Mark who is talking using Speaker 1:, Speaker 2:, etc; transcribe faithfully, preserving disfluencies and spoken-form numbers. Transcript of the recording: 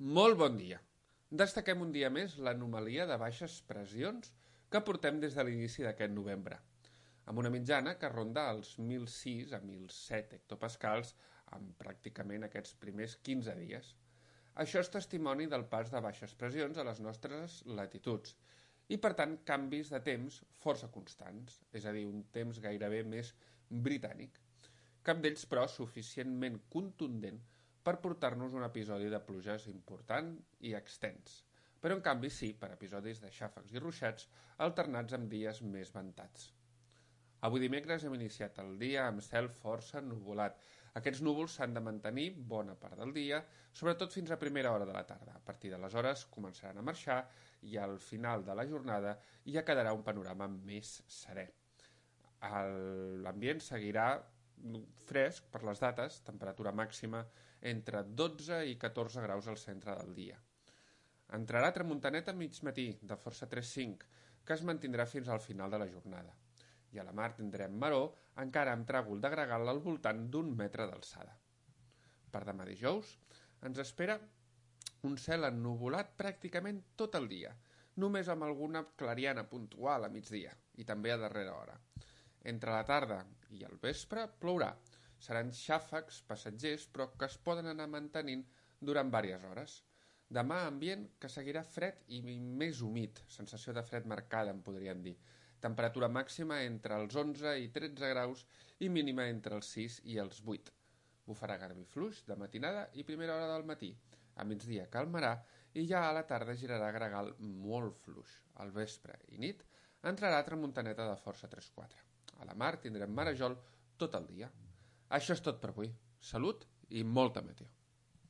Speaker 1: Molt bon dia. Destaquem un dia més l'anomalia de baixes pressions que portem des de l'inici d'aquest novembre, amb una mitjana que ronda els mil sis a mil set hectopascals en pràcticament aquests primers quinze dies. Això és testimoni del pas de baixes pressions a les nostres latituds i, per tant, canvis de temps força constants, és a dir, un temps gairebé més britànic. Cap d'ells, però, suficientment contundent per portar-nos un episodi de pluges important i extens, però en canvi sí per episodis de xàfecs i ruixats alternats amb dies més ventats. Avui dimecres hem iniciat el dia amb cel força nuvolat. Aquests núvols s'han de mantenir bona part del dia, sobretot fins a primera hora de la tarda. A partir d'aleshores començaran a marxar i al final de la jornada ja quedarà un panorama més serè. L'ambient seguirà fresc per les dates, temperatura màxima entre dotze i catorze graus al centre del dia. Entrarà tramuntaneta a mig matí, de força tres cinc, que es mantindrà fins al final de la jornada. I a la mar tindrem maror, encara amb tràgol de gregal al voltant d'un metre d'alçada. Per demà dijous ens espera un cel ennuvolat pràcticament tot el dia, només amb alguna clariana puntual a migdia i també a darrera hora. Entre la tarda i el vespre plourà. Seran xàfecs passatgers, però que es poden anar mantenint durant diverses hores. Demà ambient que seguirà fred i més humit, sensació de fred marcada, en podríem dir. Temperatura màxima entre els onze i tretze graus i mínima entre els sis i els vuit. Bufarà garbí fluix de matinada i primera hora del matí. A migdia calmarà i ja a la tarda girarà gregal molt fluix. Al vespre i nit entrarà tramuntaneta de força tres quatre. A la mar tindrem marejol tot el dia. Això és tot per avui. Salut i molta meteo.